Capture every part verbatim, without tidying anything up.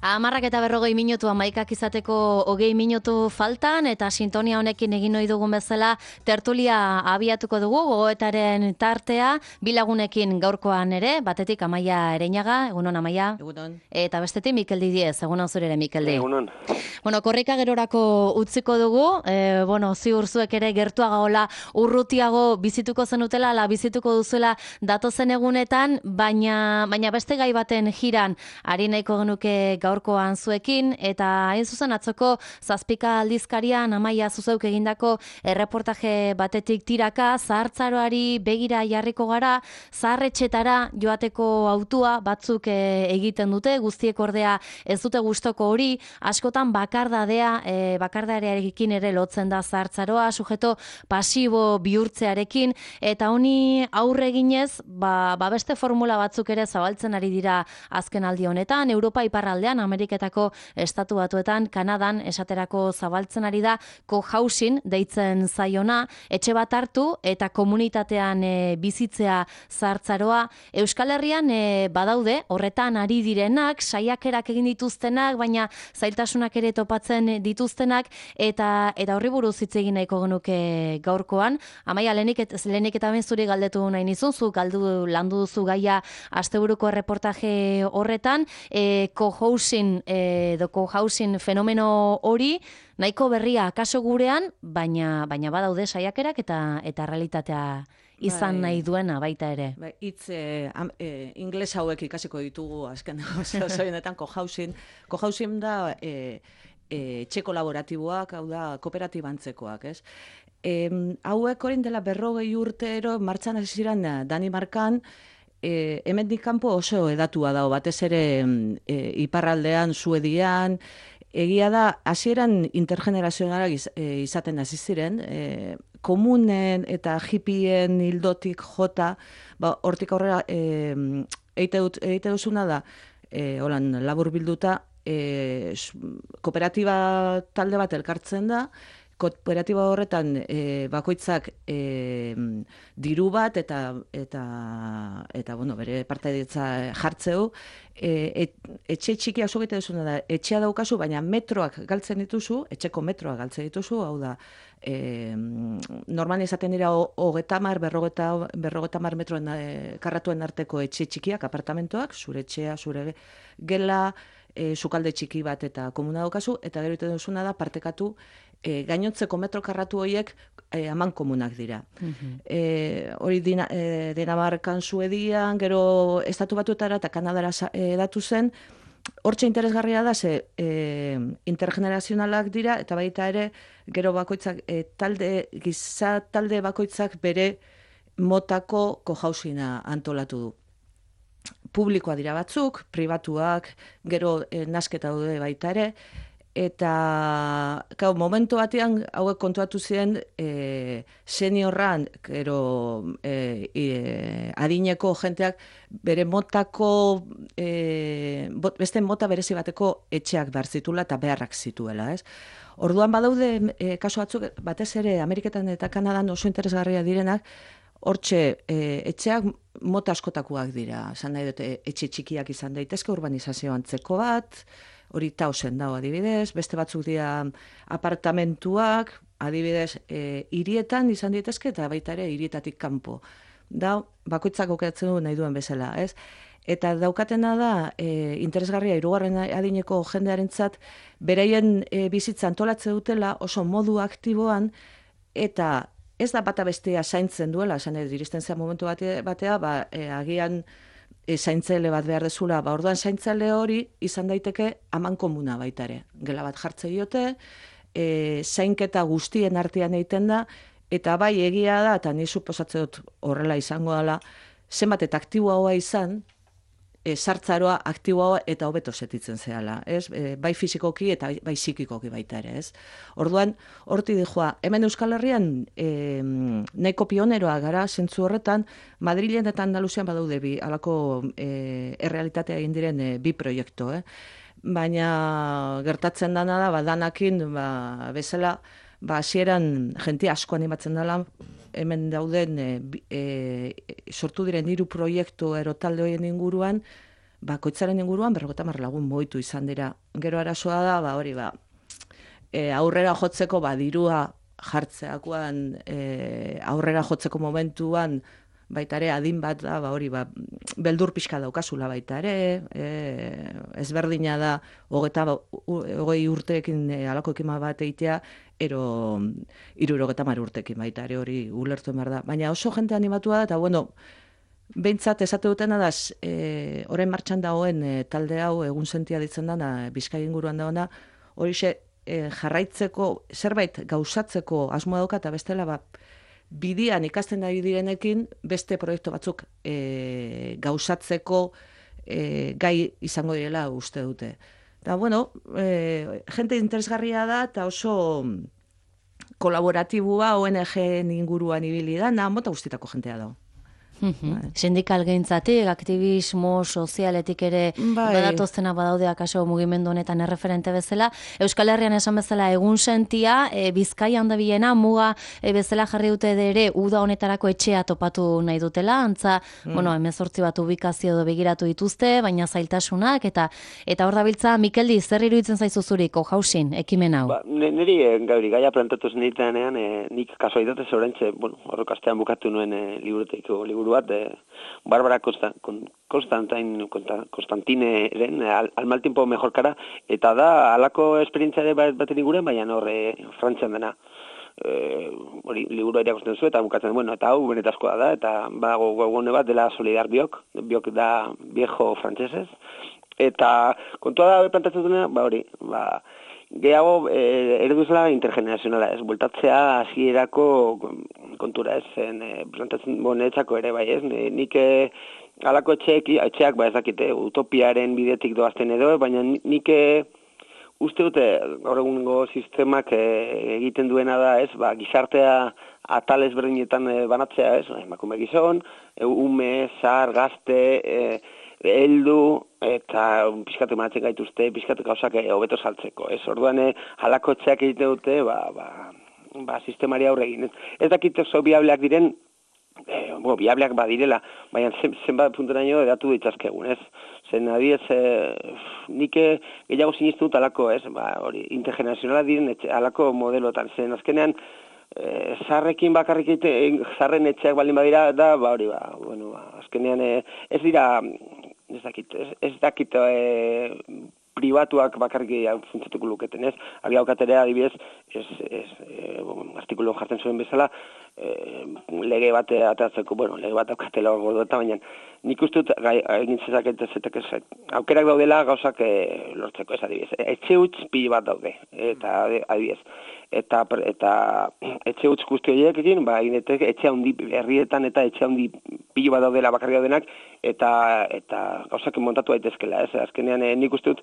Amarrak eta berrogei minutu amaikak izateko hogei minutu faltan eta sintonia honekin egin ohi dugun bezala tertulia abiatuko dugu gogoetaren tartea bilagunekin gaurkoan ere, batetik Amaia Ereñaga, egunon Amaia. Egunon. Eta bestetik Mikeldi Diez, egunon zure ere Mikeldi. Egunon. Bueno, korrika gerorako utziko dugu, e, bueno, ziur zuek ere gertuago hola urrutiago bizituko zenutela, la bizituko duzuela datozen egunetan, baina, baina beste gai baten jiran ari nahiko genuke gaurkoan zuekin, eta hain zuzen atzoko zazpika aldizkarian Amaia zuzeuk egindako erreportaje batetik tiraka, zahartzaroari begira jarriko gara, zaharretxetara joateko autua batzuk e, egiten dute, guztiek ordea ez dute gustoko hori, askotan bakardadea, e, bakardarearekin ere lotzen da zahartzaroa, sujeto pasibo bihurtzearekin, eta honi aurre eginez, ba, ba beste formula batzuk ere zabaltzen ari dira azken aldi honetan, Europa iparraldean, Ameriketako estatu batuetan, Kanadan esaterako zabaltzen ari da cohousing deitzen zaiona, etxe bat hartu eta komunitatean e, bizitzea zahartzaroa. Euskal Herrian e, badaude, horretan ari direnak, saiakerak egin dituztenak, baina zailtasunak ere topatzen dituztenak, eta eta horri buruz hitz egin nahiko genuke gaurkoan. Amaia, lehenik, et, lehenik eta ben zuri galdetu nahi nizun, zu galdu landu duzu gaia asteburuko erreportaje horretan, e, cohousing edo cohousing fenomeno hori nahiko berria kaso gurean, baina baina badaude saiakerak eta eta realitatea izan bai, nahi duena baita ere. Bai, hitz eh, eh, ingles hauek ikasiko ditugu azken osoienetan cohousing. Cohousing da eh, eh, etxe kolaboratiboak, hau da kooperatibantzekoak, ez? Eh, hauek orain dela berrogei urtero martxan hasi ziren Danimarkan. E, hemendik kanpo oso edatua dago, batez ere e, iparraldean, Suedian, egia da, hasieran intergenerazionalak iz, e, izaten hasi ziren, e, komunen eta hippien hildotik jota, ba, hortik aurrera e, eite, dut, eite duzuna da, e, holan, labur bilduta, e, kooperatiba talde bat elkartzen da, kooperatiba horretan e, bakoitzak e, diru bat eta eta eta bueno, bere partaidetza jartzeu, e, et, etxe txikia oso egite duzuna da, etxea daukazu, baina metroak galtzen dituzu, etxeko metroak galtzen dituzu, hau da, e, normal izaten dira hogeta mar, berrogeta, berrogeta mar metroen e, karratuen arteko etxe txikiak, apartamentoak, zure etxea, zure gela, e, sukalde txiki bat eta komuna daukazu, eta gero egiten duzuna da partekatu E, gainotzeko metro karratu horiek e, aman komunak dira. Uh-huh. E, hori dina, e, Dinamarkan, Suedian, gero estatu batuetara eta Kanadara edatu zen, hortxe interesgarria da, ze e, intergenerazionalak dira, eta baita ere, gero bakoitzak, e, talde, giza talde bakoitzak bere motako cohousina antolatu du. Publikoa dira batzuk, pribatuak, gero e, nasketa daude baita ere, eta gau, momentu batean hauek kontuatu ziren e, seniorran, gero e, e, adineko jenteak bere motako e, bot, beste mota berezi bateko etxeak behar zituela eta beharrak zituela, ez? Orduan badaude e, kasu batzuk, batez ere Ameriketan eta Kanadan oso interesgarria direnak, hortxe e, etxeak mota askotakoak dira, esan nahi dute etxe txikiak izan daitezke, urbanizazio antzeko bat, hori tausen dago adibidez, beste batzuk dira apartamentuak, adibidez, e, hirietan izan daitezke eta baita ere hirietatik kanpo. Da, bakoitzak aukeratzen du nahi duen bezala, ez? Eta daukatena da, e, interesgarria hirugarren adineko jendearentzat beraien e, bizitza antolatzen dutela oso modu aktiboan, eta ez da bata bestea zaintzen duela, esan edo iristen zen momentu bate, batea, ba, e, agian E, zaintzaile bat behar dezula, ba, orduan zaintzaile hori izan daiteke aman komuna baita ere. Gela bat jartze diote, e, zainketa guztien artean egiten da, eta bai egia da, eta ni suposatzen dut horrela izango dela, zenbat eta aktiboa izan, e, sartzaroa aktiboa eta hobeto setitzen zehala, ez? E, bai fizikoki eta bai psikikoki baita ere, ez? Orduan, horti dijoa, hemen Euskal Herrian e, nahiko pioneroa gara, zentzu horretan, Madrilen eta Andaluzian badaude bi, alako e, errealitatea egin diren e, bi proiektu, eh? Baina gertatzen dana da, ba, danakin, ba, bezala, ba, hasieran jente asko animatzen dela, hemen dauden e, e, sortu diren hiru proiektu erotalde horien inguruan, bakoitzaren inguruan berrogeita hamar lagun mugitu izan dira. Gero arazoa da, ba, hori, ba, e, aurrera jotzeko, ba, dirua jartzeakoan, e, aurrera jotzeko momentuan, baita ere, adin bat da, ba, hori, ba, beldur pixka daukazula baita ere, e, ezberdina da, hogeta, hogei urteekin e, alako ekima bat eitea, ero hirurogeita hamar urteekin baita ere hori ulertu behar da. Baina oso jente animatua da, eta bueno, behintzat esate dutena da, e, orain martxan dagoen e, talde hau egun sentia ditzen da, Bizkai inguruan dagoena, horixe e, jarraitzeko, zerbait gauzatzeko asmoa dauka, eta bestela, ba, bidian ikasten ari direnekin beste proiektu batzuk e, gauzatzeko e, gai izango direla uste dute. Eta, bueno, e, jente interesgarria da, eta oso kolaboratibua O N G inguruan ibili da, nahan mota guztitako jentea da. Bai. Sindikal gehintzatik, aktivismo sozialetik ere bai. Badatoztena badaude akaso mugimendu honetan erreferente bezala. Euskal Herrian esan bezala egun sentia, e, Bizkaian da bilena, muga e, bezala jarri dute ere uda honetarako etxea topatu nahi dutela, antza, mm. bueno, hemezortzi bat ubikazio edo begiratu dituzte, baina zailtasunak, eta eta hor dabiltza, Mikeldi, zer iruditzen zaizu zuriko, jausin, ekimen hau? Ba, niri, gauri, gaia plantatu zeniteanean, e, nik kaso idatez horrentxe, bueno, horrek astean bukatu nuen e, liburuteiko liburu bat, eh, Barbara Constantin, Constantineren al, al mal tiempo mejor cara, eta da halako esperientzia ere baten inguruan, baina horre Frantzian dena. Eh, hori liburu irakurtzen zu eta bukatzen, bueno, eta hau benetazkoa da, eta badago webgune bat dela Solidar Biok, Biok da viejo frantsesez, eta kontua da plantatzen dena, ba hori, ba gehiago e, ereduzela intergenerazionala, ez, bultatzea hasierako kontura, ez, zen, e, plantatzen bonetzako ere, bai, ez, nik e, alako etxeak, etxeak, ba, ez dakite, utopiaren bidetik doazten edo, baina nik e, uste dute, gaur egungo sistemak e, egiten duena da, ez, ba, gizartea atal ezberdinetan e, banatzea, ez, emakume gizon, e, ume, zar, gazte, e, heldu, eta pizkatu manatzen gaituzte, pizkatu gauzak hobeto saltzeko. Ez orduan, halako etxeak egiten dute, ba, ba, ba, sistemari aurre egin. Ez, ez dakit oso biableak diren, eh, bo, biableak badirela, baina zen, zenbat punteraino edatu ditzazkegun, ez? Zen, adiez, eh, nik gehiago sinistu dut halako, ez? Ba, hori, intergenerazionala diren etxe, halako modelotan. Zen, azkenean, eh, zarrekin bakarrik egite, zarren etxeak baldin badira, da, ba, hori, ba, bueno, ba, azkenean, eh, ez dira, ez dakit, ez, ez dakit e, pribatuak bakarrik funtzatuko luketen, ez? Abi haukatere adibidez, ez, ez, e, bon, artikulu jartzen zuen bezala, e, lege bat atatzeko, bueno, lege bat aukatela gordo eta baina nik uste dut egin zezaketa zetek ez, aukerak daudela gauzak e, lortzeko, ez adibidez. Etxe huts pilo bat daude, eta adibidez. Eta, eta etxe huts guzti horiek egin, ba, eginetek etxe handi herrietan eta etxe handi pilo bat daudela bakarri daudenak, eta, eta gauzak montatu daitezkela, ez? Azkenean eh, nik uste dut,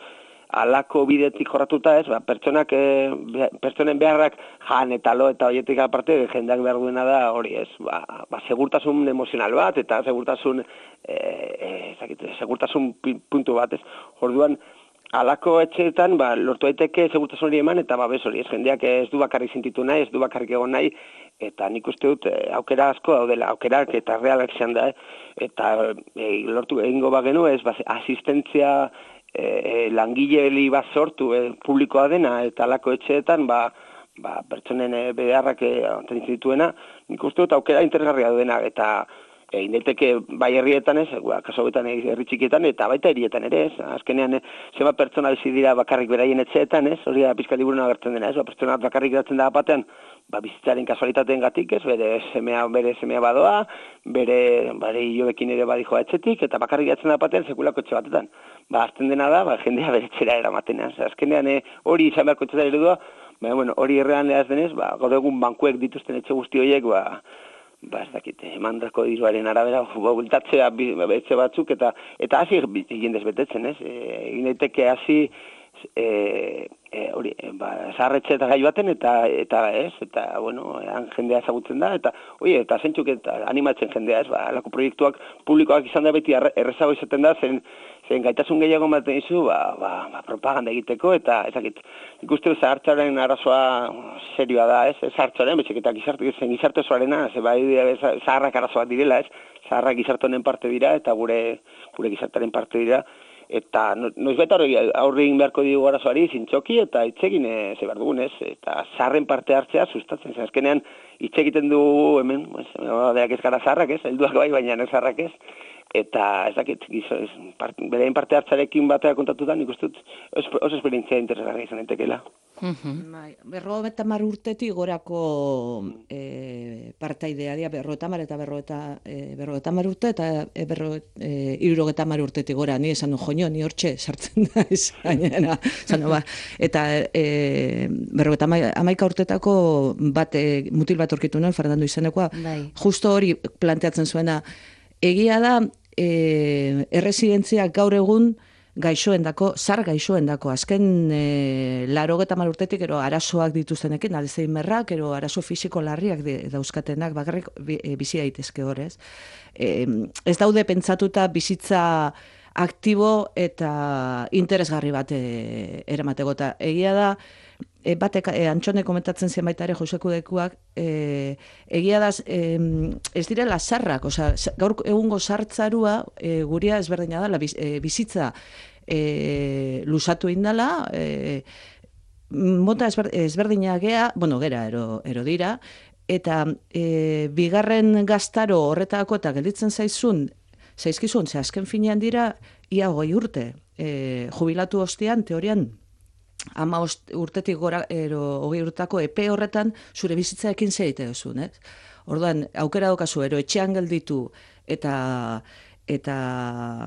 alako bidetik jorratuta, ez? Ba, pertsonak, eh, pertsonen beharrak jan eta lo eta horietik aparte, jendeak behar duena da hori, ez? Ba, ba, segurtasun emozional bat, eta segurtasun, eh, eh, segurtasun puntu bat, ez? Orduan, alako etxeetan, ba, lortu daiteke segurtasun hori eman, eta babes hori, ez jendeak ez du bakarrik sentitu nahi, ez du bakarrik egon nahi, eta nik uste dut eh, aukera asko daudela, aukerak eta realak izan da, eh? Eta eh, lortu egingo bagenu, ez, ba, asistentzia eh, langileli bat sortu eh, publikoa dena, eta alako etxeetan, ba, ba, pertsonen eh, beharrak eh, dituena, nik uste dut aukera interesgarria duena, eta egin daiteke bai herrietan ez, kaso hauetan herri txikietan, eta baita hirietan ere ez, azkenean zenbat pertsona bizi dira bakarrik beraien etxeetan ez, hori da pizka liburuan agertzen dena ez, ba, pertsona bakarrik geratzen da batean, ba, bizitzaren kasualitateen gatik ez, bere semea, bere semea badoa, bere, bere hilobekin ere badijoa etxetik, eta bakarrik geratzen da batean sekulako etxe batetan. Ba, azten dena da, ba, jendea bere etxera eramaten ez, azkenean hori izan beharko etxetan eredua, ba, bueno, hori errean lehaz denez, ba, gaur egun bankuek dituzten etxe guzti horiek, ba, ba, ez dakit, emandako diruaren arabera, bultatzea etxe batzuk, eta eta hasi jendez betetzen, ez? Egin daiteke hasi, e, e, hori, ba, zaharretxe eta gai baten, eta, eta ez, eta, bueno, han jendea ezagutzen da, eta, oie, eta zentzuk eta animatzen jendea, ez, ba, alako proiektuak publikoak izan da beti errezago izaten da, zen, zen gaitasun gehiago ematen dizu, ba, ba, ba, propaganda egiteko, eta ezakit, ikuste zahartzaren arazoa serioa da, ez, zahartzaren, betxek eta gizarte, zen gizarte osoarena, ze bai zaharrak arazoak direla, ez, zaharrak gizarte honen parte dira, eta gure, gure gizartaren parte dira, eta noizbait aurre egin beharko digu arazoari zintzoki eta itzegin e, ze behar dugun, ez? Eta zaharren parte hartzea sustatzen zen. Azkenean hitz egiten du hemen, pues, deak ez gara zaharrak, ez? Helduak bai, baina ez zaharrak ez. Eta ez dakit, part, berein parte hartzarekin batea kontatuta, nik uste dut oso esperientzia interesgarria izan entekela. Bai, berrogeita hamar urtetik gorako e, partaidea dira, berrogeita hamar eta berrogeita e, berrogeita hamar urte eta e, berro, e, hirurogeita hamar urtetik gora, ni esan du joño, ni hortxe sartzen da gainera, ba, eta e, berrogeita hamaika urtetako bat, e, mutil bat aurkitu nuen, Fernando izenekoa, bai. Justo hori planteatzen zuena, egia da, e, erresidentziak gaur egun gaixoendako, zar gaixoendako, azken e, larogeta hamar urtetik, ero arazoak dituztenekin, Alzheimerrak, ero arazo fisiko larriak dauzkatenak, bakarrik e, bizi daitezke horrez. E, ez daude pentsatuta bizitza aktibo eta interesgarri bat e, eramateko. Eta egia da, e, batek, e, Antxone komentatzen zien baita ere Joseko dekuak, e, egia da, e, ez direla zarrak, oza, gaur egungo sartzarua e, guria ezberdina da, la, e, bizitza e, lusatu indala, e, mota ezber, ezberdina gea, bueno, gera ero, ero dira, eta e, bigarren gaztaro horretako eta gelditzen zaizun, zaizkizun, ze azken finean dira, ia hogei urte, e, jubilatu ostean, teorian, ama urtetik gora, ero, hogei urtako epe horretan, zure bizitzaekin zeite duzun, ez? Orduan, aukera daukazu, ero etxean gelditu, eta, eta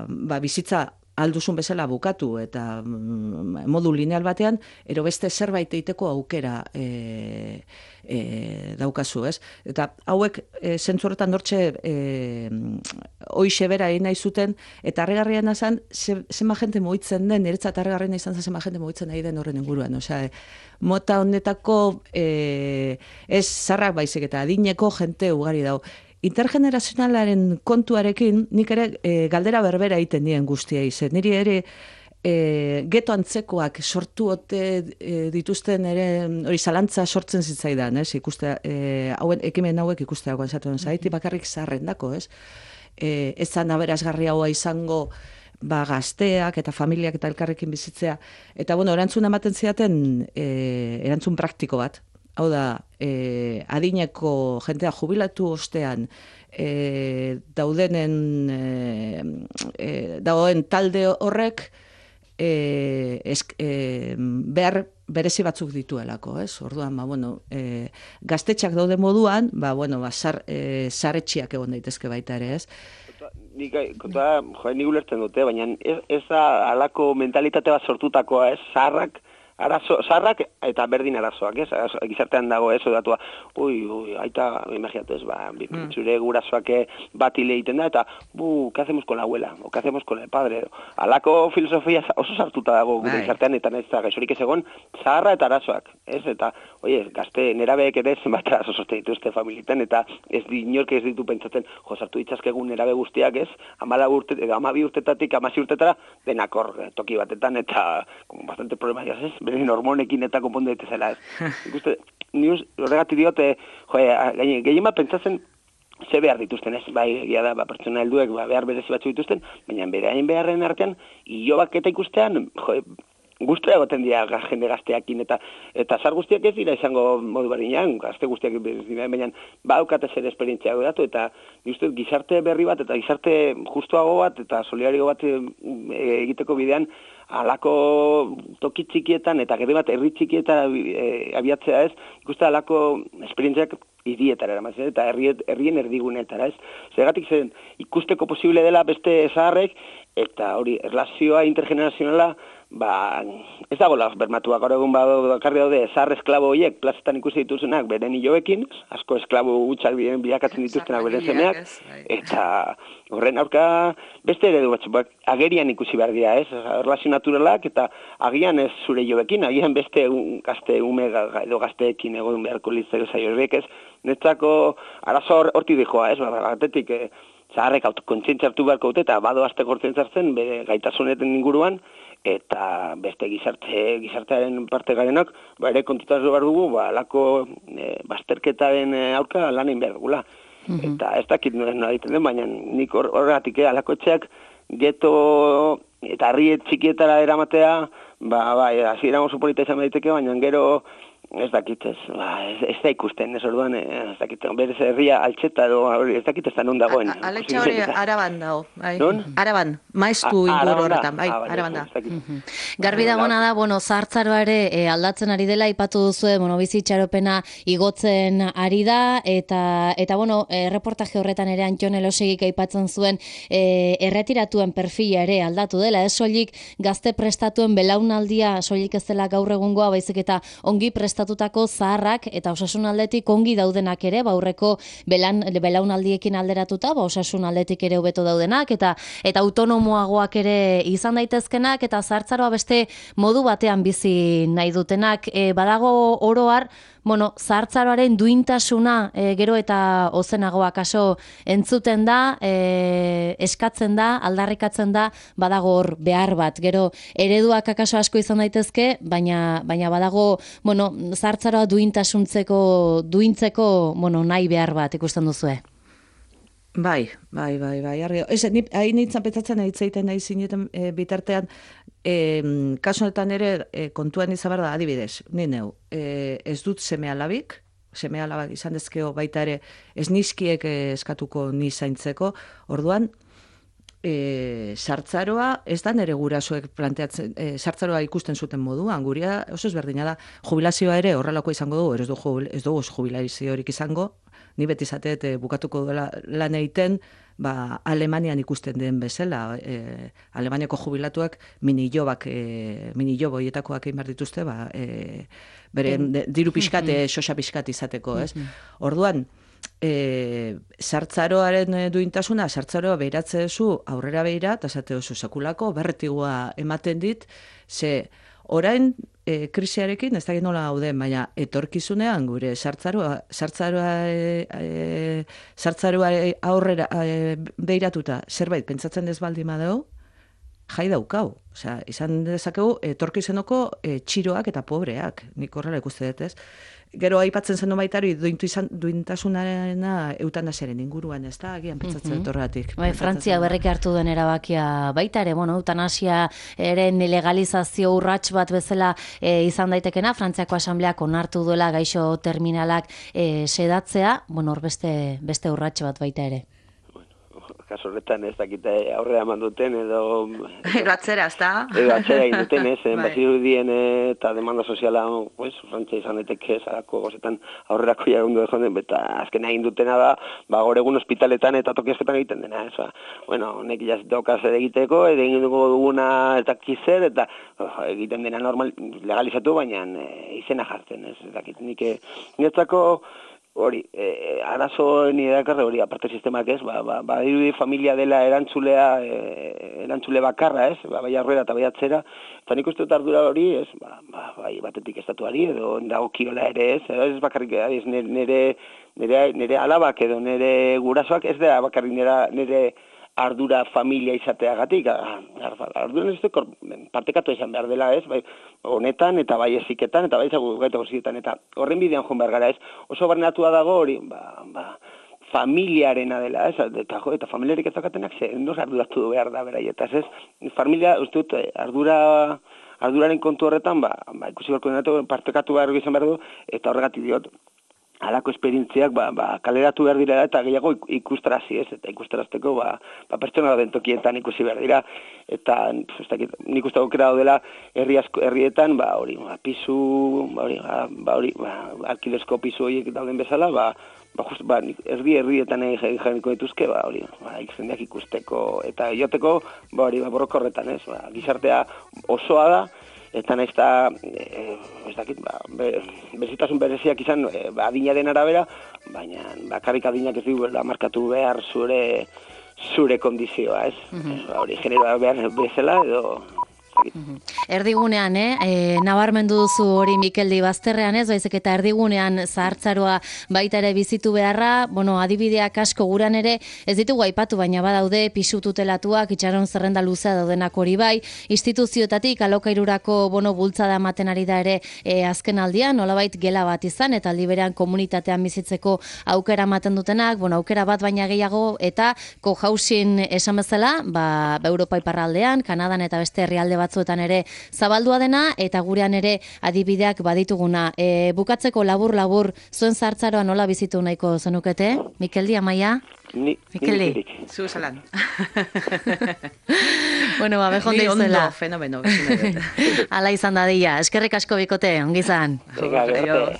ba, bizitza alduzun bezala bukatu, eta mm, modu lineal batean, ero beste zerbait eiteko aukera e, e, daukazu, ez? Eta hauek, e, zentzu horretan dortxe, e, hoixe bera egin nahi zuten, eta harrigarriena zen, ze, zema jente mugitzen den, niretzat harrigarriena izan zen zema jente mugitzen nahi den horren inguruan, osea, e, mota honetako e, ez zarrak baizik eta adineko jente ugari dau. Intergenerazionalaren kontuarekin nik ere e, galdera berbera egiten dien guztia izen. Niri ere e, geto antzekoak sortu ote e, dituzten ere hori zalantza sortzen zitzaidan, ez? Ikuste, e, hauen, ekimen hauek ikusteagoan zaten zaiti bakarrik zarrendako, ez? E, ez zan aberazgarri haua izango ba, gazteak eta familiak eta elkarrekin bizitzea. Eta bueno, erantzun ematen ziaten e, erantzun praktiko bat. Hau da, e, adineko jentea jubilatu ostean e, daudenen e, e, dagoen talde horrek e, esk, e, behar berezi batzuk dituelako, ez? Orduan, ba, bueno, e, gaztetxak daude moduan, ba, bueno, ba, zar, e, zaretxiak egon daitezke baita ere, ez? Nik, kontua, joa, nik ulertzen dute, baina ez, ez da alako mentalitate bat sortutakoa, ez? Zaharrak, arazo, zarrak eta berdin arazoak, ez? Gizartean dago ez, odatua, ui, ui, aita, imaginatu ez, ba, mm. zure gurasoak bat hile egiten da, eta, bu, ¿qué hacemos con la abuela? O ¿qué hacemos con el padre? Alako filosofia oso sartuta dago gure gizartean, eta ez da, gaixorik ez egon, zaharra eta arazoak, ez? Eta, oie, gazte, nerabeek ere zenbat arazo soste dituzte familietan, eta ez di, inork ez ditu pentsatzen, jo, sartu ditzazkegun nerabe guztiak, ez? Amala urte, amabi urtetatik, amasi urtetara, denakor toki batetan, eta, como bastante problemas, ez? Beren hormonekin eta konpondu daitezela, ez? Ikuste, ni horregatik diote, joe, gehien bat pentsatzen ze behar dituzten, ez? Bai, egia da, ba, pertsona helduek ba, behar berezi batzu dituzten, baina beraien beharren artean, ilobak eta ikustean, joe, guztua egoten dira jende gazteakin, eta eta zar guztiak ez dira izango modu barinean, gazte guztiak dira, baina baukate zer esperientzia datu, eta uste, gizarte berri bat, eta gizarte justuago bat, eta solidario bat e, egiteko bidean, alako toki txikietan, eta gero bat herri txikietan e, abiatzea ez, ikuste alako esperientziak hirietara eramatzen, eta herrien erdigunetara ez. Zergatik zen, ikusteko posible dela beste zaharrek, eta hori, erlazioa intergenerazionala, ba, ez dagoela bermatuak, gaur egun bakarri daude, zahar esklabo horiek, plazetan ikusi dituzunak, beren hiloekin, asko esklabo gutxak bilakatzen dituztenak beren semeak, eta horren aurka beste eredu batzuk, agerian ikusi behar dira, ez, erlazio naturalak, eta agian ez zure hiloekin, agian beste gazte ume edo gazteekin egon beharko litzak zaio horrek, ez, netzako arazo horti dijoa, ez, batetik, zaharrek autokontzientzia hartu beharko dute, eta bado azte gortzen zartzen, bere gaitasuneten inguruan, eta beste gizarte, gizartearen parte garenak, ba, ere kontutaz behar dugu, ba, alako e, bazterketaren aurka lan egin behar dugula. Mm-hmm. Eta ez dakit nola egiten den, baina nik horregatik, eh, alako etxeak geto eta herri txikietara eramatea, ba, bai, hasiera oso polita izan daiteke, baina gero ez dakit ez, ba, ez, ez da ikusten, ez orduan, ez dakit, berez herria altxeta edo, ez dakit ez da non dagoen. Aletxe hori araban dago, bai. Non? Araban, maiztu inguru horretan, bai, araban da. Garbi dagoena da, bueno, zahartzaroa ere e, aldatzen ari dela, ipatu duzue, bueno, bizitxaropena igotzen ari da, eta, eta bueno, e, reportaje horretan ere Antton Elosegik aipatzen zuen e, erretiratuen perfila ere aldatu dela, ez soilik gazte prestatuen belaunaldia, soilik ez dela gaur egungoa, baizik eta ongi prestatutako zaharrak eta osasun aldetik ongi daudenak ere, baurreko belan, belaunaldiekin alderatuta, ba, osasun aldetik ere hobeto daudenak, eta eta autonomoagoak ere izan daitezkenak, eta zahartzaroa beste modu batean bizi nahi dutenak. E, badago oroar, bueno, zahartzaroaren duintasuna e, gero eta ozenagoa kaso entzuten da, e, eskatzen da, aldarrikatzen da, badago hor behar bat. Gero ereduak akaso asko izan daitezke, baina baina badago, bueno, zahartzaroa duintasuntzeko, duintzeko, bueno, nahi behar bat ikusten duzue. Bai, bai, bai, bai. Argi, ez, ni hain nintzen petzatzen hitzeiten nahi zineten e, bitartean, e, kasu honetan ere e, kontuan izan behar da, adibidez, ni neu, e, ez dut seme-alabik, seme-alabak izan dezkeo baita ere, ez nizkiek eskatuko ni zaintzeko, orduan, e, sartzaroa, ez da nere gurasoek planteatzen, e, sartzaroa ikusten zuten moduan, guria oso ezberdina da, jubilazioa ere horrelako izango du, ez dugu, ez dugu jubilaziorik izango, ni beti zateet e, bukatuko duela lan egiten, ba, Alemanian ikusten den bezala, e, Alemaniako jubilatuak mini-jobak, e, mini-job hoietakoak egin behar dituzte, ba, e, bere de, diru pixkate, xoxa pixkat izateko, ez? Orduan, e, sartzaroaren duintasuna, sartzaroa behiratze duzu, aurrera behira, eta zate duzu sekulako, berretigua ematen dit, ze orain, E, krisiarekin, ez dakit nola gauden, baina etorkizunean gure sartzaroa, sartzaroa, e, e, sartzaroa aurrera e, behiratuta zerbait pentsatzen ez baldin badeu, jai daukau. Osea, izan dezakegu etorkizuneko e, txiroak eta pobreak, nik horrela ikuste dut, ez? Gero aipatzen zen baitari duintu izan duintasunarena eutanasiaren inguruan, ez da, agian pentsatzen dut horregatik. Bai, Frantzia berriki hartu duen erabakia baita ere, bueno, eutanasia eren legalizazio urrats bat bezala e, izan daitekena, Frantziako asambleak onartu duela gaixo terminalak e, sedatzea, bueno, hor beste, beste urrats bat baita ere. Kaso horretan ez dakite aurrera eman duten edo... Edo atzera, ez da? Edo atzera egin duten, ez, bazirudien eta demanda soziala, pues, Frantzia izan daiteke, zarako gozetan aurrerako jagundu joan, eta azken egin dutena da, ba, gaur egun ospitaletan eta tokiazketan egiten dena, ez, ba, bueno, honek jazitokaz egiteko, edo egin dugu duguna eta kizer, eta oh, egiten dena normal, legalizatu, baina e, izena jartzen, ez, ez dakit, nik niretzako... Hori, eh, arazo ni dakarre hori, aparte sistemak ez, ba, ba, ba dirudi familia dela erantzulea, eh, erantzule bakarra ez, ba, bai aurrera eta bai atzera, eta nik uste dut ardura hori ez, ba, ba, bai batetik estatuari edo dagokiola ere ez, ez bakarrik ez nire, nire, nire alabak edo nire gurasoak ez da bakarrik nire, nire ardura familia izateagatik, ardura ez dut partekatu izan behar dela ez, bai, honetan eta bai eziketan eta bai zagugaita guztietan eta horren bidean joan behar gara ez, oso barneatua dago hori, ba, ba, familiarena dela ez, eta, jo, eta familiarik ez dakatenak ze, nos arduratu behar da beraietaz ez, familia, uste dut, ardura, arduraren kontu horretan, ba, ba ikusi barko partekatu behar izan behar du, eta horregatik diot, halako esperientziak ba, ba, kaleratu behar dira eta gehiago ikustrazi ez, eta ikustarazteko ba, ba, pertsona den tokietan ikusi behar dira, eta nik uste aukera daudela herri asko, herrietan, ba, hori, ba, pisu, ba, hori, ba, hori, ba, alkidezko pisu horiek dauden bezala, ba, ba, just, ba, herri herrietan egin jarriko dituzke, ba, hori, ba, ikzendeak ikusteko, eta joteko, ba, hori, ba, borroko horretan, ez, ba, gizartea osoa da, eta nahiz eta, e, ez dakit, ba, be, bezitasun bereziak izan e, ba, adinaren arabera, baina bakarrik adinak ez duela markatu behar zure zure kondizioa, ez? Mm-hmm. Ba, hori, generoa behar bezala, edo dakit. Erdigunean, eh? E, nabarmendu duzu hori Mikeldi bazterrean ez, baizik eta erdigunean zahartzaroa baita ere bizitu beharra, bueno, adibideak asko guran ere, ez ditugu aipatu, baina badaude pisu tutelatuak, itxaron zerrenda luzea daudenak hori bai, instituzioetatik alokairurako bono bultzada ematen ari da ere e, azken aldian, nolabait gela bat izan, eta aldi berean komunitatean bizitzeko aukera ematen dutenak, bueno, aukera bat baina gehiago, eta cohousing esan bezala, ba, Europa iparraldean, Kanadan eta beste herrialde batzuetan ere zabaldua dena, eta gurean ere adibideak badituguna. E, bukatzeko labur-labur, zuen zahartzaroa nola bizitu nahiko zenukete? Mikeldi, Amaia? Ni, Mikeldi. ni Zu zalan. Bueno, ba, bejonde Ni ondo, izela. fenomeno. Ala izan dadila. Eskerrik asko bikote, ongi izan. Venga, gero arte.